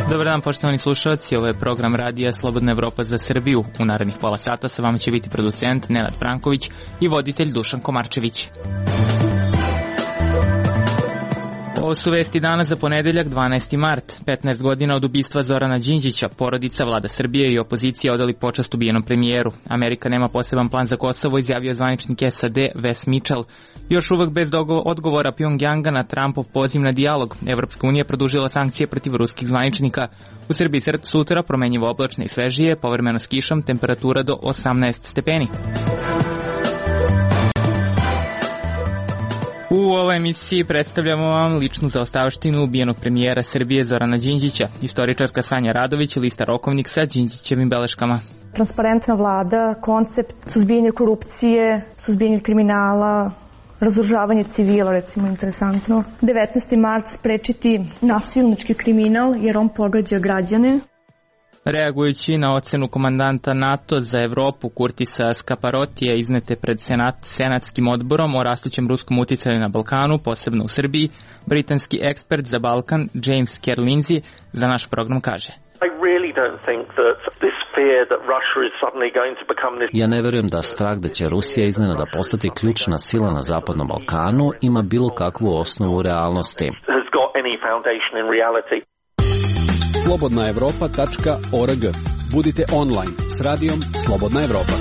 Dobar dan, poštovani slušalci, ovo je program radija Slobodna Evropa za Srbiju. U narednih pola sata sa vama će biti producent Nenad Franković i voditelj Dušan Komarčević. Ovo su vesti dana za ponedeljak, 12. mart. 15 godina od ubistva Zorana Đinđića, porodica, vlada Srbije i opozicija odali počast ubijenom premijeru. Amerika nema poseban plan za Kosovo, izjavio zvaničnik SAD Wes Mitchell. Još uvek bez odgovora Pjongjanga na Trumpov poziv na dijalog. Evropska unija produžila sankcije protiv ruskih zvaničnika. U Srbiji sutra promenjivo oblačno i svežije, povremeno s kišom, temperatura do 18 stepeni. U ovoj emisiji predstavljamo vam ličnu zaostavštinu ubijenog premijera Srbije Zorana Đinđića. Istoričarka Sanja Radović lista rokovnik sa Đinđićevim beleškama. Transparentna vlada, koncept suzbijanja korupcije, suzbijanja kriminala, razoružavanje civila, recimo, interesantno. 19. mart sprečiti nasilnički kriminal jer on pogađa građane. Reagujući na ocenu komandanta NATO za Evropu Kurtisa Skaparotija iznete pred senatskim odborom o rastućem ruskom uticaju na Balkanu, posebno u Srbiji, britanski ekspert za Balkan James Kerr-Lindsey za naš program kaže: Ja ne verujem da strah da će Rusija iznenada postati ključna sila na Zapadnom Balkanu ima bilo kakvu osnovu u realnosti. slobodnaevropa.org. Budite online s radijom Slobodna Evropa.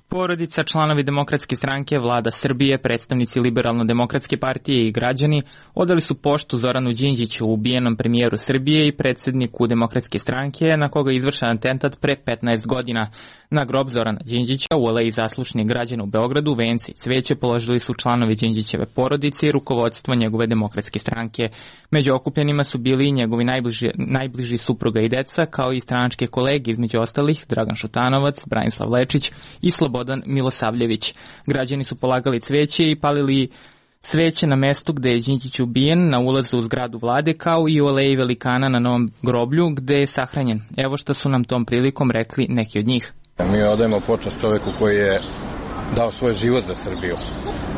Porodica, članovi Demokratske stranke, vlada Srbije, predstavnici Liberalno-demokratske partije i građani odali su poštu Zoranu Đinđiću, ubijenom premijeru Srbije i predsedniku Demokratske stranke, na koga je izvršen atentat pre 15 godina. Na grob Zorana Đinđića u aleji zaslušnih građana u Beogradu vence i cveće položili su članovi Đinđićeve porodice i rukovodstvo njegove Demokratske stranke. Među okupljenima su bili i njegovi najbliži supruga i deca, kao i stranačke kolege, između ostalih Dragan Šutanovac, Branislav Lečić i Slobodan Milosavljević. Građani su polagali cveće i palili sveće na mestu gde je Đinđić ubijen, na ulazu u zgradu vlade, kao i u aleji velikana na Novom groblju gde je sahranjen. Evo što su nam tom prilikom rekli neki od njih. Mi odajemo počast čoveku koji je dao svoj život za Srbiju,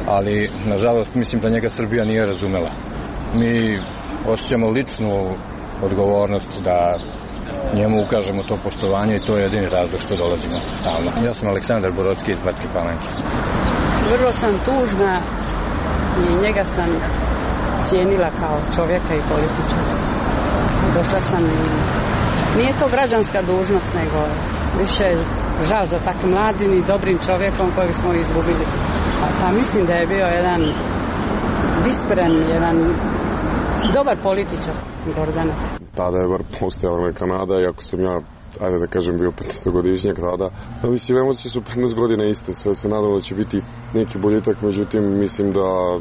ali nažalost mislim da njega Srbija nije razumela. Mi osjećamo ličnu odgovornost da njemu ukažemo to poštovanje i to je jedini razlog što dolazimo stalno. Ja sam Aleksandar Borodski iz Bačke Palanke. Vrlo sam tužna i njega sam cijenila kao čovjeka i političara. Došla sam i nije to građanska dužnost, nego više žal za takvim mladim i dobrim čovjekom kojeg smo izgubili. Pa mislim da je bio jedan vispren, jedan dobar političar, Gordana. Tada je bar postojala neka nada, iako sam ja, ajde da kažem, bio 15-godišnjak tada. Mislim, emocije su 15 godina iste, sve se nadamo da će biti neki boljitak, međutim, mislim da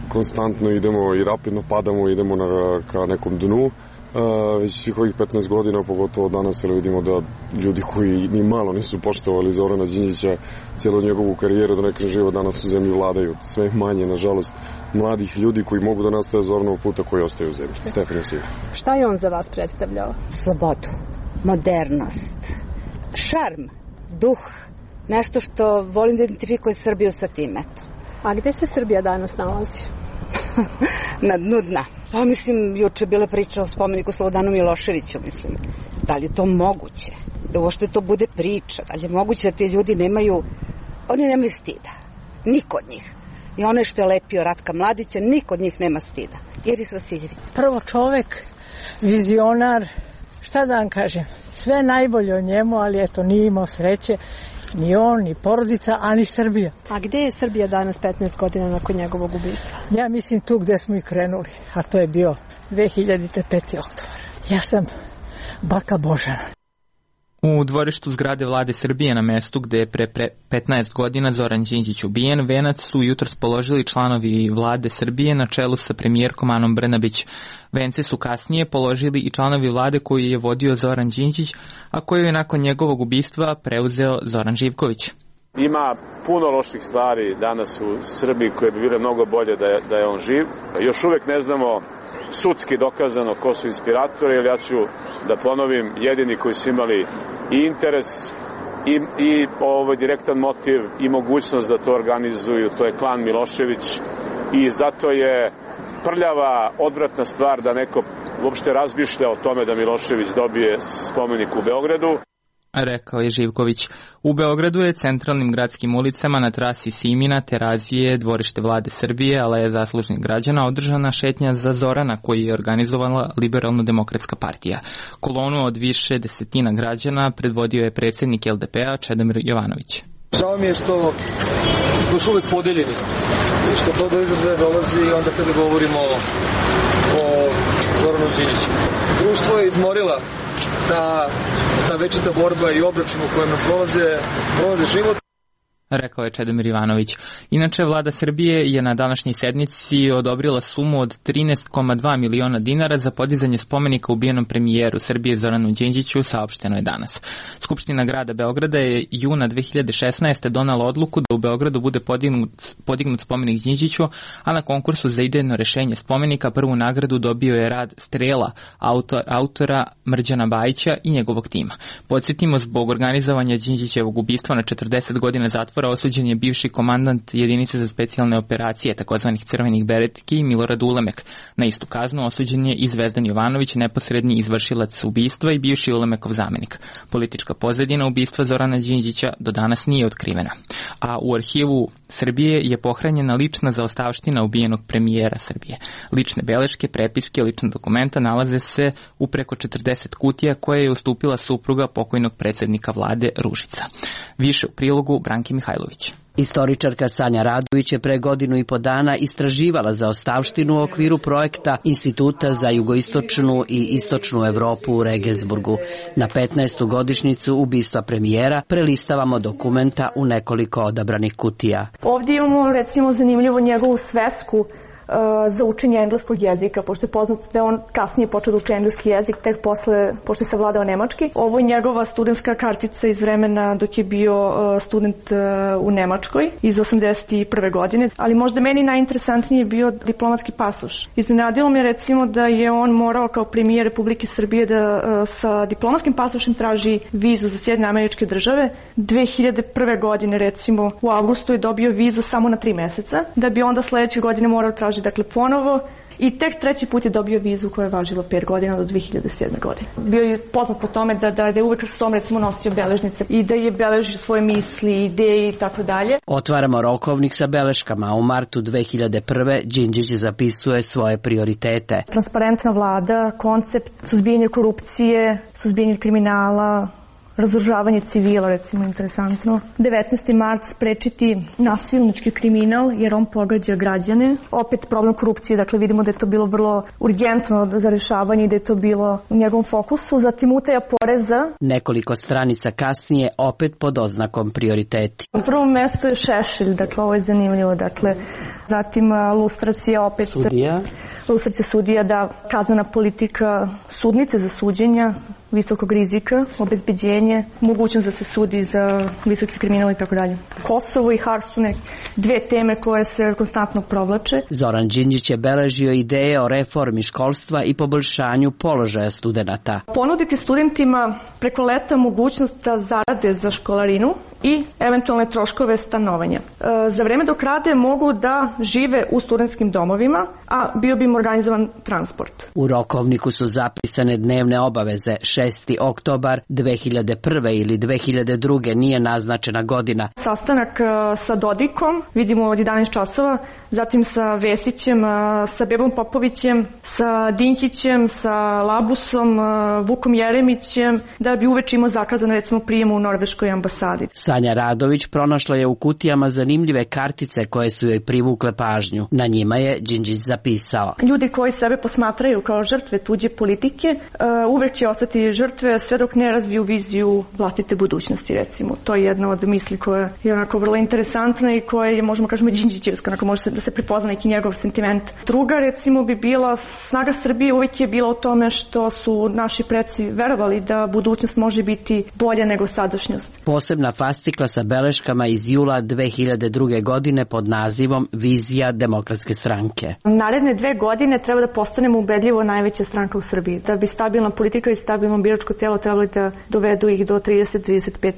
konstantno idemo i rapidno padamo, idemo ka nekom dnu. Već svih ovih 15 godina, pogotovo danas, vidimo da ljudi koji ni malo nisu poštovali Zorana Đinđića cijelu njegovu karijeru, da ne kažem život, danas u zemlji vladaju. Sve manje, nažalost, mladih ljudi koji mogu da nastave Zoranovog puta koji ostaju u zemlji. Stefan Josivin. Šta je on za vas predstavljao? Slobodu, modernost, šarm, duh, nešto što volim da identifikuje Srbiju sa tim, eto. A gde se Srbija danas nalazi? Na dnu dna. Pa mislim, juče bila priča o spomeniku Slobodanu Miloševiću, mislim. Da li je to moguće? Da uopšte to bude priča? Da li je moguće da ti ljudi nemaju stida? Niko od njih. I ono što je lepio Ratka Mladića, niko od njih nema stida. Iris Vasiljević. Prvo čovek, vizionar, šta da vam kažem, sve najbolje o njemu, ali eto, nije imao sreće. Ni on, ni porodica, a ni Srbija. A gde je Srbija danas 15 godina nakon njegovog ubistva? Ja mislim tu gde smo i krenuli, a to je bio 2005. oktobar. Ja sam baka Božana. U dvorištu zgrade vlade Srbije na mestu gde je pre 15 godina Zoran Đinđić ubijen, venac su jutros položili članovi vlade Srbije na čelu sa premijerkom Anom Brnabić. Vence su kasnije položili i članovi vlade koju je vodio Zoran Đinđić, a koju je nakon njegovog ubistva preuzeo Zoran Živković. Ima puno loših stvari danas u Srbiji koje bi bile mnogo bolje da je on živ. Još uvek ne znamo sudski dokazano ko su inspiratori, jer ja ću da ponovim, jedini koji su imali i interes i direktan motiv i mogućnost da to organizuju, to je klan Milošević i zato je prljava, odvratna stvar da neko uopšte razmišlja o tome da Milošević dobije spomenik u Beogradu. Rekao je Živković. U Beogradu je centralnim gradskim ulicama na trasi Simina, Terazije, dvorište vlade Srbije, Aleja zaslužnih građana održana šetnja za Zorana koju je organizovala Liberalno-demokratska partija. Kolonu od više desetina građana predvodio je predsjednik LDP-a Čedomir Jovanović. Žao mi je što smo još uvek podeljeni i što to do izražaja dolazi onda kada govorimo o Zoranu Đinđiću. Društvo je izmorila ta večita borba i obračun u kojem prolaze život. Rekao je Čedomir Jovanović. Inače, vlada Srbije je na današnjoj sednici odobrila sumu od 13,2 miliona dinara za podizanje spomenika ubijenom premijeru Srbije Zoranu Đinđiću, saopšteno je danas. Skupština grada Beograda je juna 2016. donala odluku da u Beogradu bude podignut spomenik Đinđiću, a na konkursu za idejno rešenje spomenika prvu nagradu dobio je rad Strela, autora Mrđana Bajića i njegovog tima. Podsjetimo, zbog organizovanja Đinđićevog ubistva na 40 godina zatvora osuđen je bivši komandant jedinice za specijalne operacije takozvanih crvenih beretki Milorad Ulemek. Na istu kaznu osuđen je i Zvezdan Jovanović, neposredni izvršilac ubistva i bivši Ulemekov zamenik. Politička pozadina ubistva Zorana Đinđića do danas nije otkrivena. A u arhivu Srbije je pohranjena lična zaostavština ubijenog premijera Srbije. Lične beleške, prepiske, lična dokumenta nalaze se u preko 40 kutija koje je ustupila supruga pokojnog predsjednika vlade Ružica. Više u prilogu Branki Mihajlović. Istoričarka Sanja Radović je pre godinu i po dana istraživala zaostavštinu u okviru projekta Instituta za jugoistočnu i istočnu Evropu u Regensburgu. Na 15. godišnjicu ubistva premijera prelistavamo dokumenta u nekoliko odabranih kutija. Ovdje imamo recimo zanimljivo njegovu svesku za učenje engleskog jezika, pošto je poznato da je on kasnije počeo da uči engleski jezik, tek posle, pošto je savladao nemački. Ovo je njegova studentska kartica iz vremena dok je bio student u Nemačkoj iz 81. godine, ali možda meni najinteresantniji je bio diplomatski pasoš. Iznenadilo me recimo da je on morao kao premijer Republike Srbije da sa diplomatskim pasošem traži vizu za Sjedinjene Američke Države. 2001. godine recimo u avgustu je dobio vizu samo na 3 meseca, da bi onda sledeće godine morao tražiti ponovo i tek treći put je dobio vizu koja je važila 5 godina do 2007. godine. Bio je poznat po tome da je uvek sa sobom recimo nosio beležnice i da je beležio svoje misli, ideje i tako dalje. Otvaramo rokovnik sa beleškama. U martu 2001. Đinđić zapisuje svoje prioritete. Transparentna vlada, koncept suzbijanja korupcije, suzbijanja kriminala, razoružavanje civila, recimo, interesantno. 19. mart sprečiti nasilnički kriminal, jer on pogađa građane. Opet problem korupcije, dakle vidimo da je to bilo vrlo urgentno za rešavanje i da je to bilo u njegovom fokusu. Zatim utaja poreza. Nekoliko stranica kasnije, opet pod oznakom prioriteti. U prvom mestu je Šešelj, dakle ovo je zanimljivo, dakle zatim lustracija opet. Sudija. Lustracija sudija, da kaznena politika sudnice za suđenja, visokog rizika, obezbeđenje, mogućnost da se sudi za visoki kriminal i tako dalje. Kosovo i Hars su dve teme koje se konstantno provlače. Zoran Đinđić je beležio ideje o reformi školstva i poboljšanju položaja studenata. Ponuditi studentima preko leta mogućnost da zarade za školarinu i eventualne troškove stanovanja. Za vreme dok rade mogu da žive u studentskim domovima, a bio bi im organizovan transport. U rokovniku su zapisane dnevne obaveze. 6. oktobar 2001. ili 2002. nije naznačena godina. Sastanak sa Dodikom, vidimo od 11 časova, zatim sa Vesićem, sa Bebom Popovićem, sa Dinkićem, sa Labusom, Vukom Jeremićem, da bi uveče imao zakazano recimo prijem u Norveškoj ambasadi. Sanja Radović pronašla je u kutijama zanimljive kartice koje su joj privukle pažnju. Na njima je Đinđić zapisao: ljudi koji sebe posmatraju kao žrtve tuđe politike, uvek će ostati žrtve sve dok ne razviju viziju vlastite budućnosti, recimo. To je jedna od misli koja je onako vrlo interesantna i koja je, možemo kažemo, Đinđićevska, onako može da se prepozna neki njegov sentiment. Druga, recimo, bi bila snaga Srbije uvek je bila u tome što su naši preci verovali da budućnost može biti bolja nego sadašnjost. Posebna fascinacija fascikla sa beleškama iz jula 2002. godine pod nazivom Vizija demokratske stranke. Naredne 2 godine treba da postanemo ubedljivo najveća stranka u Srbiji. Da bi stabilna politika i stabilno biračko telo trebali da dovedu ih do 30-35%.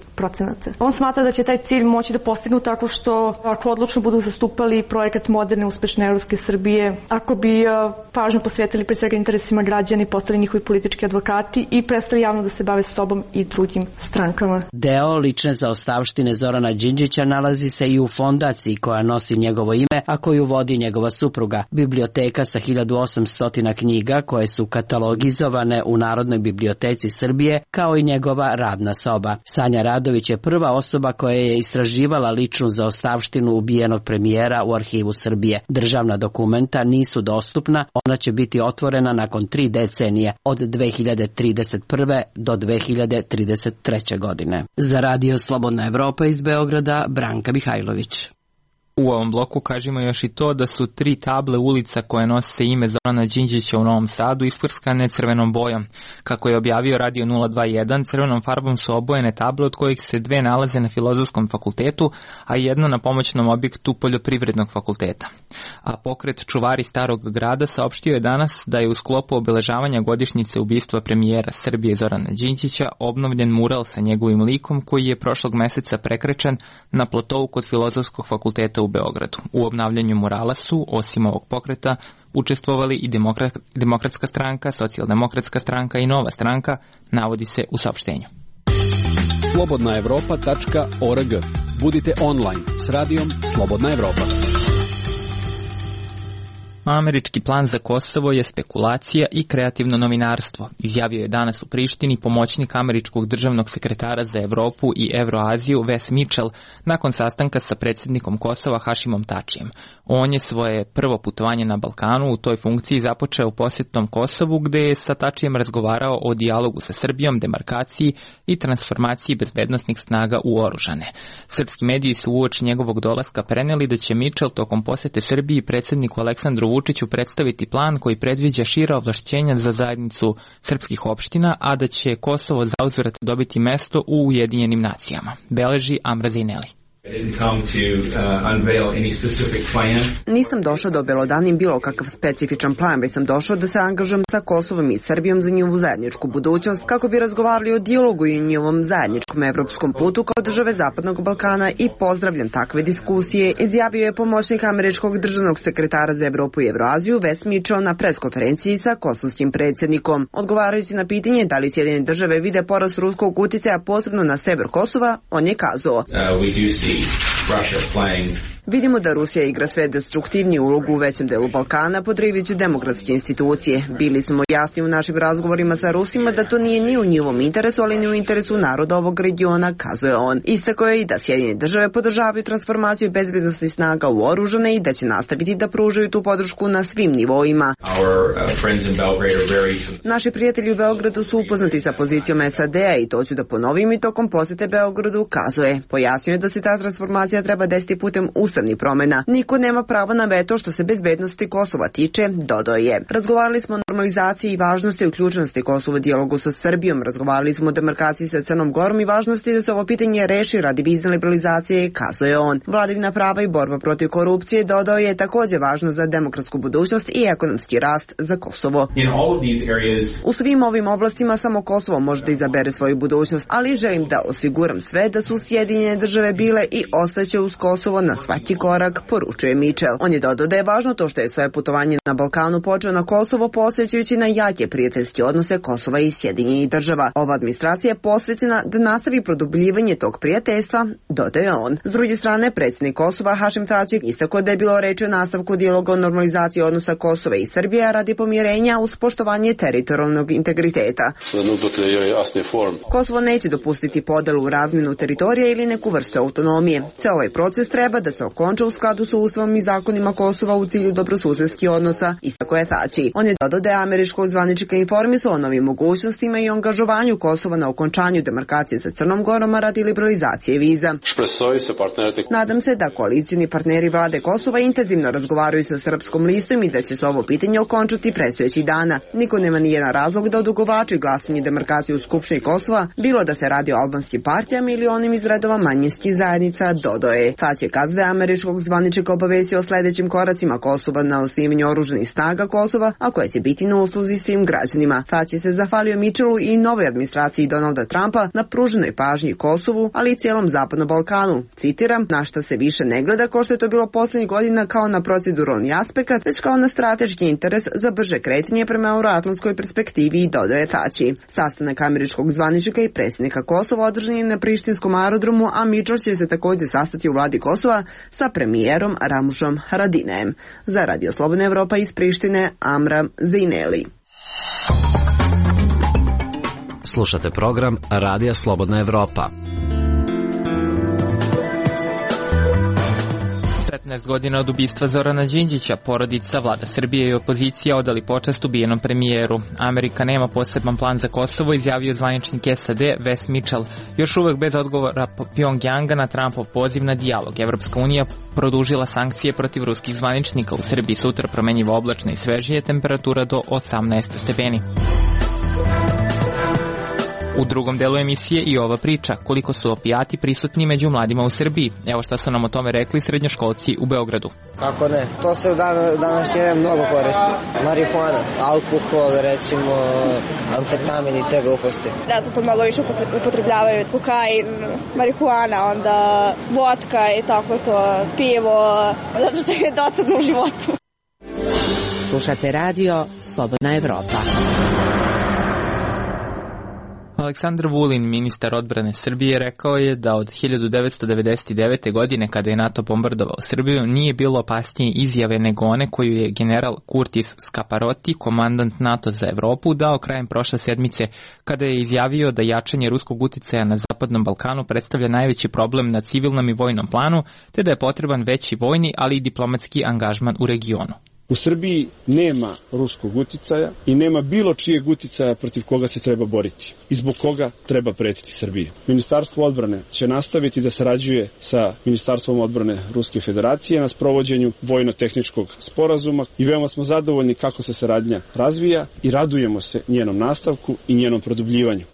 On smatra da će taj cilj moći da postignu tako što ako odlučno budu zastupali projekat moderne, uspešne evropske Srbije, ako bi pažnju posvetili pre svega interesima građana i postali njihovi politički advokati i prestali javno da se bave sobom i drugim strankama. Deo lične zaostavštine Zorana Đinđića nalazi se i u fondaciji koja nosi njegovo ime, a koju vodi njegova supruga. Biblioteka sa 1800 knjiga koje su katalogizovane u Narodnoj biblioteci Srbije, kao i njegova radna soba. Sanja Radović je prva osoba koja je istraživala ličnu zaostavštinu ubijenog premijera u Arhivu Srbije. Državna dokumenta nisu dostupna, ona će biti otvorena nakon 3 decenije, od 2031. do 2033. godine. Za Radio Slobodna Evropa iz Beograda, Branka Mihajlović. U ovom bloku kažemo još i to da su 3 table ulica koje nose ime Zorana Đinđića u Novom Sadu isprskane crvenom bojom. Kako je objavio Radio 021, crvenom farbom su obojene table od kojih se 2 nalaze na Filozofskom fakultetu, a 1 na pomoćnom objektu Poljoprivrednog fakulteta. A pokret Čuvari Starog grada saopštio je danas da je u sklopu obeležavanja godišnjice ubistva premijera Srbije Zorana Đinđića obnovljen mural sa njegovim likom koji je prošlog meseca prekrečen na plotou kod Filozofskog fakulteta u Beogradu. U obnavljanju murala su, osim ovog pokreta, učestvovali i Demokratska stranka, Socijaldemokratska stranka i Nova stranka, navodi se u saopštenju. slobodnaevropa.org. Budite online s radijom Slobodna Evropa. Američki plan za Kosovo je spekulacija i kreativno novinarstvo, izjavio je danas u Prištini pomoćnik američkog državnog sekretara za Evropu i Evroaziju Wes Mitchell nakon sastanka sa predsjednikom Kosova Hašimom Tačijem. On je svoje prvo putovanje na Balkanu u toj funkciji započeo posjetom Kosovu, gde je sa Tačijem razgovarao o dijalogu sa Srbijom, demarkaciji i transformaciji bezbednosnih snaga u oružane. Srpski mediji su uoči njegovog dolaska preneli da će Mitchell tokom posjete Srbiji predsjedniku Aleksandru Vučiću predstaviti plan koji predviđa šira ovlašćenja za zajednicu srpskih opština, a da će Kosovo zauzvrat dobiti mesto u Ujedinjenim nacijama, beleži Amra Zineli. Nisam došao da obelodanim bilo kakav specifičan plan, već sam došao da se angažujem sa Kosovom i Srbijom za njihovu zajedničku budućnost, kako bi razgovarali o dijalogu i njihovom zajedničkom evropskom putu kao države Zapadnog Balkana i pozdravljam takve diskusije, izjavio je pomoćnik američkog državnog sekretara za Evropu i Evroaziju Wes Mitchell na preskonferenciji sa kosovskim predsjednikom. Odgovarajući na pitanje da li Sjedinjene države vide porast ruskog uticaja posebno na sever Kosova, on je kazao: Vidimo da Rusija igra sve destruktivniju ulogu u većem delu Balkana, podrivajući demokratske institucije. Bili smo jasni u našim razgovorima sa Rusima da to nije ni u njihovom interesu, ali ni u interesu naroda ovog regiona, kazuje on. Istakao je i da Sjedinjene države podržavaju transformaciju bezbednosnih snaga u oružane i da će nastaviti da pružaju tu podršku na svim nivoima. Naši prijatelji u Beogradu su upoznati sa pozicijom SAD-a i to ću da ponovim i tokom posete Beogradu, kazuje. Pojasnio je da se ta transformacija treba desiti putem ustavnih promjena. Niko nema pravo na veto što se bezbednosti Kosova tiče, dodao je. Razgovarali smo o normalizaciji i važnosti uključenosti Kosova u dijalogu sa Srbijom, razgovarali smo o demarkaciji sa Crnom Gorom i važnosti da se ovo pitanje reši radi vizne liberalizacije, kazuje on. Vladavina prava i borba protiv korupcije, dodao je, također važno za demokratsku budućnost i ekonomski rast za Kosovo. U svim ovim oblastima samo Kosovo može da izabere svoju budućnost, ali želim da osiguram sve da su Sjedinjene države bile i ostaće uz Kosovo na svaki korak, poručuje Mitchell. On je dodao da je važno to što je svoje putovanje na Balkanu počeo na Kosovo posjećajući na jake prijateljske odnose Kosova i Sjedinjenih država. Ova administracija je posvećena da nastavi produbljivanje tog prijateljstva, dodaje on. S druge strane, predsjednik Kosova Hašim Tači istakao da je bilo reči o nastavku dijaloga o normalizaciji odnosa Kosova i Srbije radi pomirenja uz poštovanje teritorijalnog integriteta. Kosovo neće dopustiti podelu u razmjenu teritorija ili neku vrstu autonomije. da ovaj proces treba da se okonča u skladu sa ustavom i zakonima Kosova u cilju dobrosusedskih odnosa, istako je Thaci. On je dodao da je američkog zvaničnika informisao o novim mogućnostima i angažovanju Kosova na okončanju demarkacije sa Crnom Gorom radi liberalizacije viza. Nadam se da koalicijni partneri vlade Kosova intenzivno razgovaraju sa Srpskom listom i da će se ovo pitanje okončati predstojećih dana. Niko nema nijedan razlog da odugovlači glasanje demarkacije u Skupštini Kosova, bilo da se radi o albanskim partijama ili onim iz redova manjinskih zajednica, dodao je. Thaci je kazao da je američkog zvaničnika obavestio o sledećim koracima Kosova na osnivanju oružanih snaga Kosova, a koje će biti na usluzi svim građanima. Thaci se zahvalio Mitchellu i novoj administraciji Donalda Trumpa na pruženoj pažnji Kosovu, ali i cijelom Zapadnom Balkanu. Citiram, na šta se više ne gleda kao što je to bilo poslednjih godina kao na proceduralni aspekt, već kao na strateški interes za brže kretanje prema euroatlantskoj perspektivi, dodaje Thaci. Sastanak američkog zvaničnika i predsjednika Kosova održan je na prištinskom aerodromu, a Mitchell će se također sastati u vladi Kosova sa premijerom Ramušom Haradinajem. Za Radio Slobodna Evropa iz Prištine, Amram Zeineli. Slušate program Radija Slobodna Evropa. 15 godina od ubistva Zorana Đinđića, porodica, vlada Srbije i opozicija odali počast ubijenom premijeru. Amerika nema poseban plan za Kosovo, izjavio zvaničnik SAD Wes Mitchell. Još uvek bez odgovora Pjongjanga na Trumpov poziv na dijalog. Evropska unija produžila sankcije protiv ruskih zvaničnika. U Srbiji sutra promenjivo oblačna i svežije, temperatura do 18 stepeni. U drugom delu emisije i ova priča, koliko su opijati prisutni među mladima u Srbiji. Evo šta su nam o tome rekli srednjoškolci u Beogradu. Kako ne, to se u današnje vreme mnogo koristi. Marihuana, alkohol, recimo, amfetamin i te gluposti. Da, se to mnogo više upotrebljavaju, kokain, marihuana, onda vodka i tako to, pivo, zato što je dosadno u životu. Slušate radio Slobodna Evropa. Aleksandar Vulin, ministar odbrane Srbije, rekao je da od 1999. godine, kada je NATO bombardovao Srbiju, nije bilo opasnije izjave nego one koju je general Curtis Scaparotti, komandant NATO za Evropu, dao krajem prošle sedmice, kada je izjavio da jačanje ruskog uticaja na Zapadnom Balkanu predstavlja najveći problem na civilnom i vojnom planu, te da je potreban veći vojni, ali i diplomatski angažman u regionu. U Srbiji nema ruskog uticaja i nema bilo čijeg uticaja protiv koga se treba boriti i zbog koga treba pretiti Srbiji. Ministarstvo odbrane će nastaviti da sarađuje sa Ministarstvom odbrane Ruske federacije na sprovođenju vojno-tehničkog sporazuma i veoma smo zadovoljni kako se saradnja razvija i radujemo se njenom nastavku i njenom produbljivanju.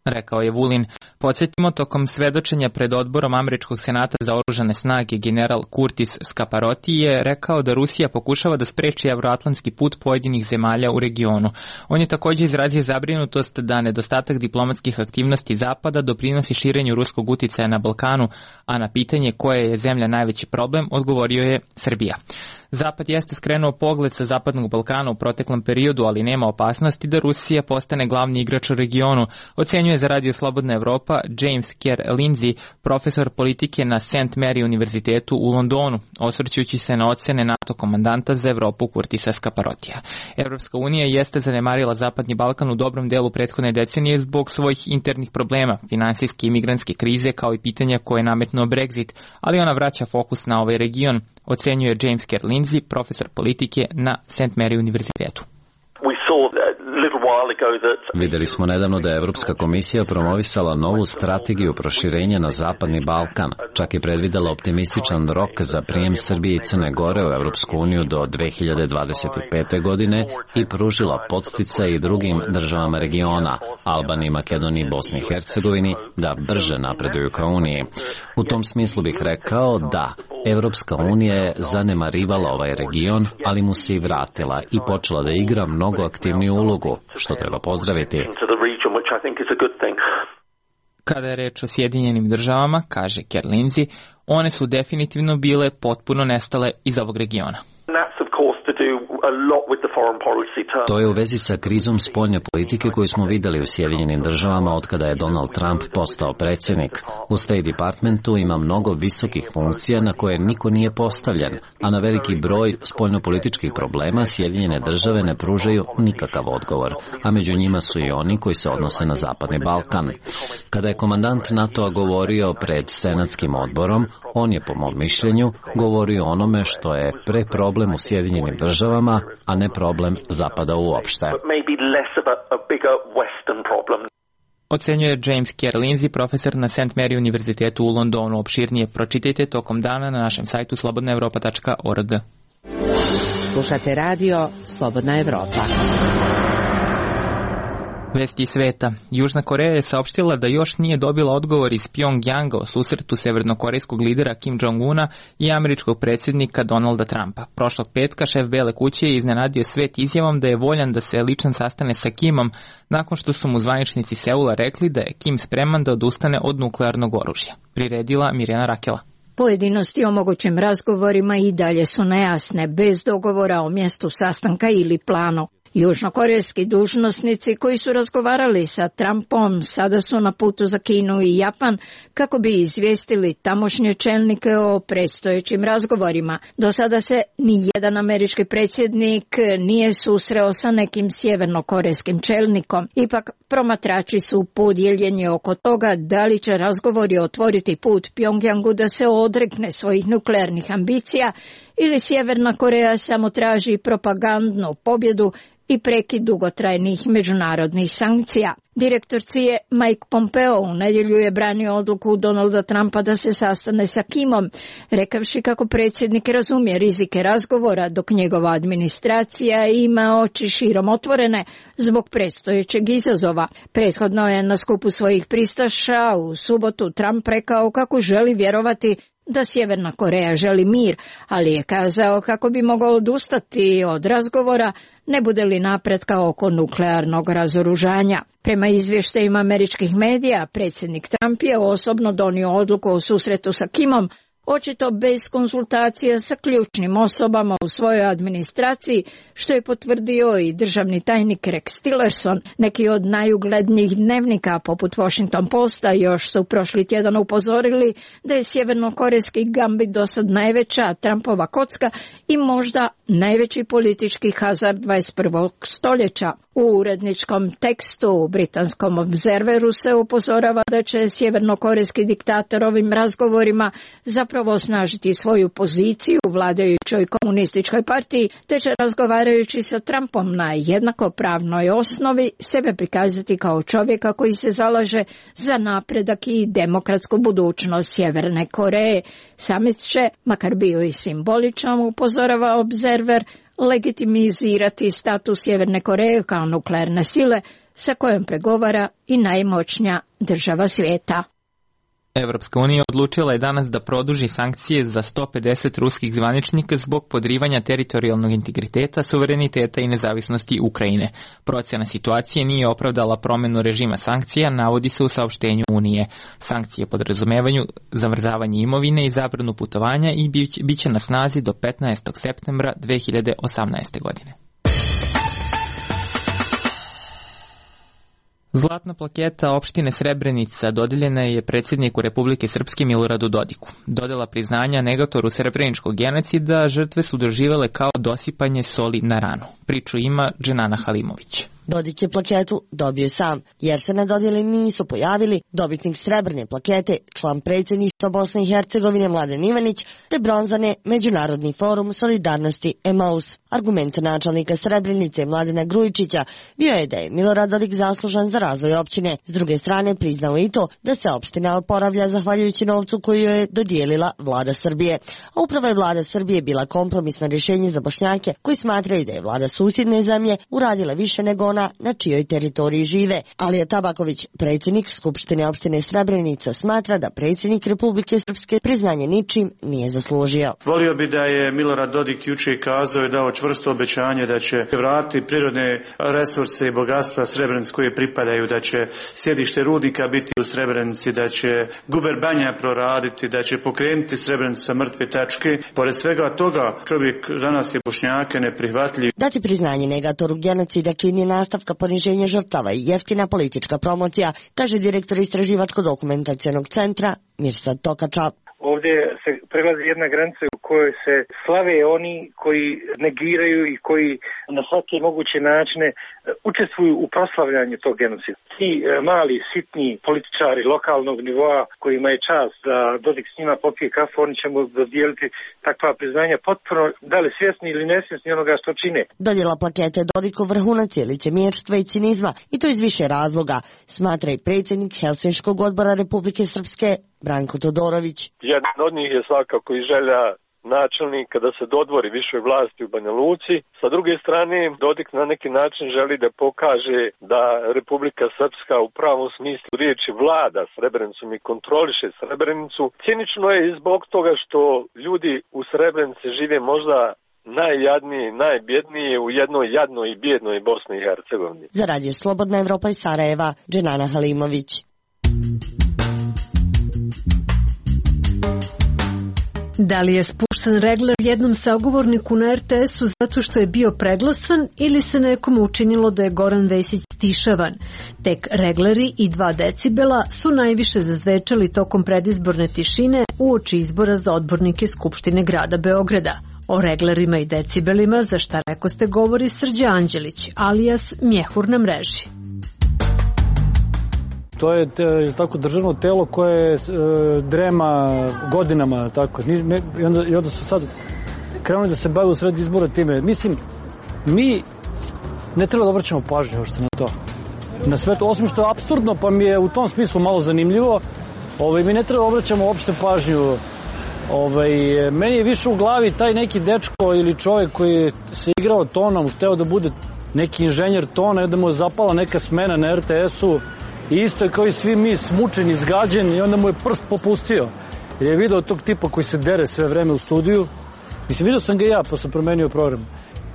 Rekao je Vulin. Podsjetimo, tokom svedočenja pred odborom Američkog senata za oružane snage general Curtis Scaparotti je rekao da Rusija pokušava da spreči evroatlantski put pojedinih zemalja u regionu. On je također izrazio zabrinutost da nedostatak diplomatskih aktivnosti Zapada doprinosi širenju ruskog uticaja na Balkanu, a na pitanje koje je zemlja najveći problem odgovorio je Srbija. Zapad jeste skrenuo pogled sa Zapadnog Balkana u proteklom periodu, ali nema opasnosti da Rusija postane glavni igrač u regionu, ocenjuje za Radio Slobodna Evropa James Kerr Lindsay, profesor politike na St. Mary univerzitetu u Londonu, osvrćući se na ocene NATO komandanta za Evropu Curtisa Scaparottija. Evropska unija jeste zanemarila Zapadni Balkan u dobrom delu prethodne decenije zbog svojih internih problema, finansijske i migrantske krize kao i pitanja koje je nametnuo Brexit, ali ona vraća fokus na ovaj region, ocenjuje James Kerr Lindsay, profesor politike na St. Mary univerzitetu. Videli smo nedavno da je Evropska komisija promovisala novu strategiju proširenja na Zapadni Balkan. Čak je predvidela optimističan rok za prijem Srbije i Crne Gore u Evropsku uniju do 2025. godine i pružila podsticaj i drugim državama regiona, Albaniji, Makedoniji, Bosni i Hercegovini, da brže napreduju ka Uniji. U tom smislu bih rekao da Evropska unija je zanemarivala ovaj region, ali mu se i vratila i počela da igra mnogo aktivniju ulogu, što treba pozdraviti. Kada je reč o Sjedinjenim državama, kaže Kerr Lindsay, one su definitivno bile potpuno nestale iz ovog regiona. To je u vezi sa krizom spoljne politike koju smo videli u Sjedinjenim državama otkada je Donald Trump postao predsjednik. U State Departmentu ima mnogo visokih funkcija na koje niko nije postavljen, a na veliki broj spoljnopolitičkih problema Sjedinjene države ne pružaju nikakav odgovor, a među njima su i oni koji se odnose na Zapadni Balkan. Kada je komandant NATO-a govorio pred Senatskim odborom, on je, po mom mišljenju, govorio o onome što je problem u Sjedinjenim državama, a ne problem Zapada uopšte. Ocenjuje James Kerr Lindsay, profesor na St. Mary univerzitetu u Londonu. Opširnije pročitajte tokom dana na našem sajtu slobodnaevropa.org. Slušate radio Slobodna Evropa. Vesti sveta. Južna Koreja je saopštila da još nije dobila odgovor iz Pjongjanga o susretu severnokorejskog lidera Kim Jong-una i američkog predsjednika Donalda Trumpa. Prošlog petka šef Bele kuće je iznenadio svet izjavom da je voljan da se lično sastane sa Kimom nakon što su mu zvaničnici Seula rekli da je Kim spreman da odustane od nuklearnog oružja. Priredila Mirjana Rakela. Pojedinosti o mogućim razgovorima i dalje su nejasne, bez dogovora o mjestu sastanka ili planu. Južnokorejski dužnosnici koji su razgovarali sa Trumpom sada su na putu za Kinu i Japan kako bi izvijestili tamošnje čelnike o predstojećim razgovorima. Do sada se ni jedan američki predsjednik nije susreo sa nekim sjevernokorejskim čelnikom. Ipak promatrači su podijeljeni oko toga da li će razgovori otvoriti put Pjongjangu da se odrekne svojih nuklearnih ambicija ili Sjeverna Koreja samo traži propagandnu pobjedu i prekid dugotrajnih međunarodnih sankcija. Direktor CIA Mike Pompeo u nedjelju je branio odluku Donalda Trumpa da se sastane sa Kimom, rekavši kako predsjednik razumije rizike razgovora dok njegova administracija ima oči širom otvorene zbog predstojećeg izazova. Prethodno je na skupu svojih pristaša u subotu Trump rekao kako želi vjerovati da Sjeverna Koreja želi mir, ali je kazao kako bi mogao odustati od razgovora ne bude li napretka oko nuklearnog razoružanja. Prema izvještajima američkih medija, predsjednik Trump je osobno donio odluku o susretu sa Kimom, očito bez konsultacija sa ključnim osobama u svojoj administraciji, što je potvrdio i državni tajnik Rex Tillerson. Neki od najuglednijih dnevnika, poput Washington Posta, još su prošli tjedan upozorili da je sjevernokorejski gambit dosad najveća Trumpova kocka i možda najveći politički hazard 21. stoljeća. U uredničkom tekstu u britanskom Observeru se upozorava da će sjevernokorejski diktator ovim razgovorima zapravo osnažiti svoju poziciju u vladajućoj komunističkoj partiji, te će razgovarajući sa Trumpom na jednakopravnoj osnovi sebe prikazati kao čovjeka koji se zalaže za napredak i demokratsku budućnost Sjeverne Koreje. Samit će, makar bio i simboličan, upozorava Observer, legitimizirati status Sjeverne Koreje kao nuklearne sile sa kojom pregovara i najmoćnija država svijeta. Evropska unija odlučila je danas da produži sankcije za 150 ruskih zvaničnika zbog podrivanja teritorijalnog integriteta, suvereniteta i nezavisnosti Ukrajine. Procjena situacije nije opravdala promjenu režima sankcija, navodi se u saopštenju Unije. Sankcije podrazumevaju zamrzavanje imovine i zabranu putovanja i bit će na snazi do 15. septembra 2018. godine. Zlatna plaketa opštine Srebrenica dodijeljena je predsjedniku Republike Srpske Miloradu Dodiku. Dodjela priznanja negatoru srebreničkog genocida žrtve su doživjele kao dosipanje soli na ranu. Priču ima Dženana Halimović. Dodik je plaketu dobio sam, jer se na dodjeli nisu pojavili dobitnik srebrne plakete, član predsjedništva Bosne i Hercegovine Mladen Ivanić, te bronzane Međunarodni forum solidarnosti Emaus. Argument načelnika Srebrenice Mladena Grujičića bio je da je Milorad Dodik zaslužan za razvoj općine. S druge strane priznao i to da se opština oporavlja zahvaljujući novcu koju je dodijelila vlada Srbije. A upravo je vlada Srbije bila kompromisno rješenje za Bošnjake koji smatraju da je vlada susjedne zemlje uradila više nego zona na čijoj teritoriji žive. Alija Tabaković, predsjednik Skupštine opštine Srebrenica, smatra da predsjednik Republike Srpske priznanje ničim nije zaslužio. Volio bi da je Milorad Dodik juče kazao i dao čvrsto obećanje da će vratiti prirodne resurse i bogatstva Srebrenici koje pripadaju, da će sjedište rudnika biti u Srebrenici, da će guber Banja proraditi, da će pokrenuti Srebrenicu sa mrtve tačke. Pored svega toga, čovjek za nas je Bošnjake neprihvatljiv. Dati priznanje negatoru genocida čini nastavka poniženja žrtava i jeftina politička promocija, kaže direktor Istraživačko-dokumentacionog centra Mirsad Tokača. Ovdje se prelazi jedna granica u kojoj se slave oni koji negiraju i koji na svake moguće načine učestvuju u proslavljanju tog genocida. Ti mali, sitni političari lokalnog nivoa kojima je čast da Dodik s njima popije kafu, oni će mu dodijeliti takva priznanja potpuno, da li svjesni ili nesvjesni onoga što čine. Dodjela plakete Dodiku vrhunac je licemjerstva i cinizma, i to iz više razloga, smatra i predsjednik Helsinškog odbora Republike Srpske Branko Todorović. Jedan od njih je svakako i želja načelnika da se dodvori višoj vlasti u Banja Luci. Sa druge strane, Dodik na neki način želi da pokaže da Republika Srpska u pravom smislu riječi vlada Srebrenicom i kontroliše Srebrenicu. Cinično je i zbog toga što ljudi u Srebrenici žive možda najjadnije, najbjednije u jednoj jadnoj i bjednoj Bosni i Hercegovini. Za Radio Slobodna Evropa iz Sarajeva, Dženana Halimović. Da li je spušten regler jednom sagovorniku na RTS-u zato što je bio preglasan ili se nekome učinilo da je Goran Vesić stišavan? Tek regleri i 2 decibela su najviše zazvečali tokom predizborne tišine uoči izbora za odbornike Skupštine grada Beograda. O reglerima i decibelima za šta rekoste govori Srđan Anđelić, alijas Mjehur na mreži. To je tako državno telo koje drema godinama, tako. I onda su sad krenuli da se bave u sred izbora time. Mislim, mi ne treba da obraćamo pažnju ošte na to. Na sve to, osim što je apsurdno, pa mi je u tom smislu malo zanimljivo, mi ne treba da obraćamo uopšte pažnju. Meni je više u glavi taj neki dečko ili čovjek koji se igrao tonom, hteo da bude neki inženjer tona i da mu je zapala neka smena na RTS-u. I isto je kao i svi mi smučen, izgađen, i onda mu je prst popustio. Jer je video tog tipa koji se dere sve vreme u studiju. Mislim, vidio sam ga ja, pa sam promenio program.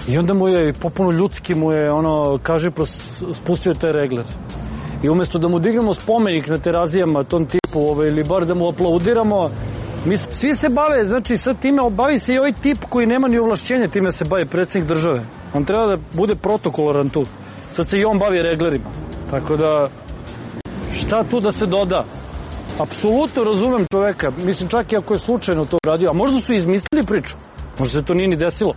I onda mu je, popuno ljudski mu je, kaže, spustio taj regler. I umjesto da mu dignemo spomenik na terazijama tom tipu, ili bar da mu aplaudiramo, svi se bave, znači sad time bavi se i ovaj tip koji nema ni ovlašćenja, time se bavi predsjednik države. On treba da bude protokolaran tu. Sad se i on bavi reglerima. Tako da, šta tu da se doda? Apsolutno razumem čoveka. Mislim, čak i ako je slučajno to radio. A možda su izmislili priču. Možda se to nije ni desilo.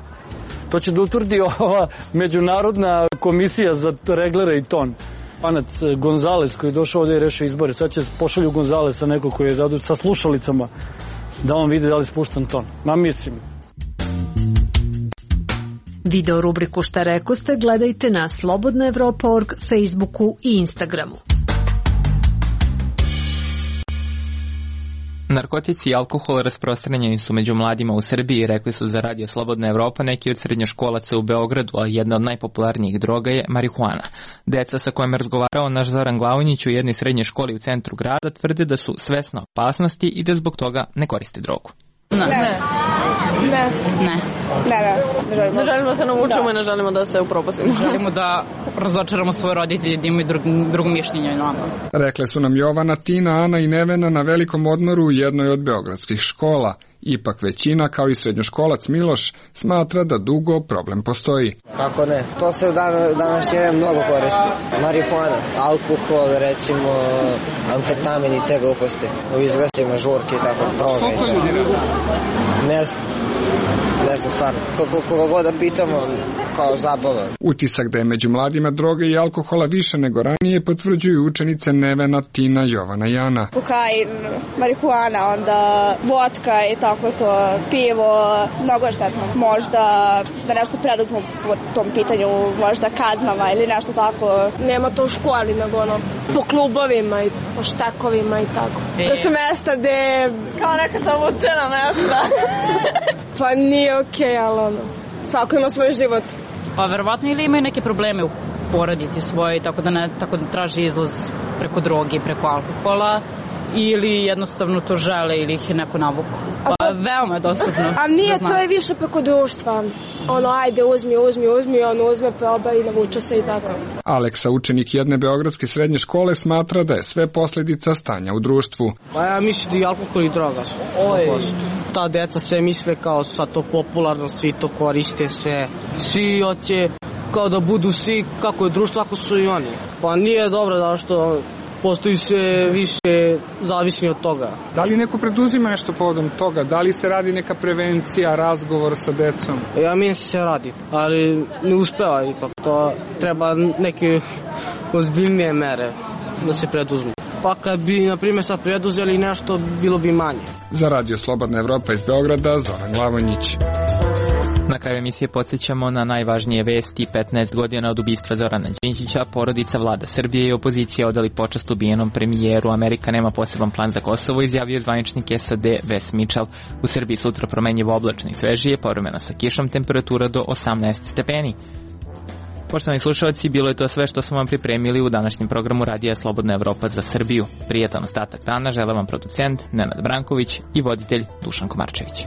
To će da utvrdi ova međunarodna komisija za reglere i ton. Panac Gonzales koji je došao ovdje i rešio izbore. Sad će pošalju Gonzalesa neko koji je zadužen sa slušalicama da on vidi da li spuštan ton. Mislim. Video rubriku Šta rekoste gledajte na slobodnaevropa.org, Facebooku i Instagramu. Narkotici i alkohol rasprostranjeni su među mladima u Srbiji, rekli su za Radio Slobodna Evropa neki od srednjoškolaca u Beogradu, a jedna od najpopularnijih droga je marihuana. Deca sa kojima je razgovarao naš Zoran Glavonjić u jednoj srednjoj školi u centru grada tvrde da su svesna opasnosti i da zbog toga ne koriste drogu. Ne želimo da se navučemo i ne želimo da se upropastimo. Želimo da razočaramo svoje roditelje, da imaju drugo mišljenje. Rekle su nam Jovana, Tina, Ana i Nevena na velikom odmoru u jednoj od beogradskih škola. Ipak većina, kao i srednjoškolac Miloš, smatra da dugo problem postoji. Kako ne? To se u današnje vreme mnogo koristi. Marihuana, alkohol, recimo, amfetamin i te gluposti. U izglastima, žurke i tako, droga i tako. Ne znam stvarno. Koga god da pitamo, kao zabava. Utisak da je među mladima droga i alkohola više nego ranije potvrđuju učenice Nevena, Tina, Jovana i Ana. Kokain, marihuana, onda vodka i tako to, pivo, mnogo štetno. Možda da nešto preduzmu po tom pitanju, možda kaznama ili nešto tako. Nema to u školi, nego po klubovima i po štakovima i tako. To su mesta gde... Kao neka zavučena mesta. Pa nije okej, ali svako ima svoj život. Pa verovatno ili imaju neke probleme porodici svoje, tako da traži izlaz preko droge, preko alkohola, ili jednostavno to žele ili ih je neko navuku. Pa veoma je dostupno. A nije, to je više preko društva. Ajde, uzmi, on uzme, proba i navuče se i tako. Aleksa, učenik jedne beogradske srednje škole, smatra da je sve posledica stanja u društvu. Pa ja mislim da i alkohol i droga su. Ta deca sve misle kao sad to popularno, svi to koriste, sve. Svi hoće kao da budu svi kako je društvo, ako su i oni. Pa nije dobro da što postoji sve više zavisni od toga. Da li neko preduzima nešto povodom toga? Da li se radi neka prevencija, razgovor sa decom? Ja mislim se radi, ali ne uspeva ipak. To treba neke ozbiljnije mere da se preduzmu. Pa kad bi, na primjer, sad preduzeli nešto, bilo bi manje. Za Radio Slobodna Evropa iz Beograda, Zoran Glavonjić. Na kraju emisije podsjećamo na najvažnije vesti. 15 godina od ubistva Zorana Đinđića, porodica vlada Srbije i opozicija odali počast ubijenom premijeru. Amerika nema poseban plan za Kosovo, izjavio zvaničnik SAD Wes Mitchell. U Srbiji sutra promenjivo oblačno i svežije, povremeno sa kišom, temperatura do 18 stepeni. Poštovani slušalci, bilo je to sve što smo vam pripremili u današnjem programu Radija Slobodna Evropa za Srbiju. Prijatan ostatak dana žele vam producent Nenad Branković i voditelj Dušan Komarčević.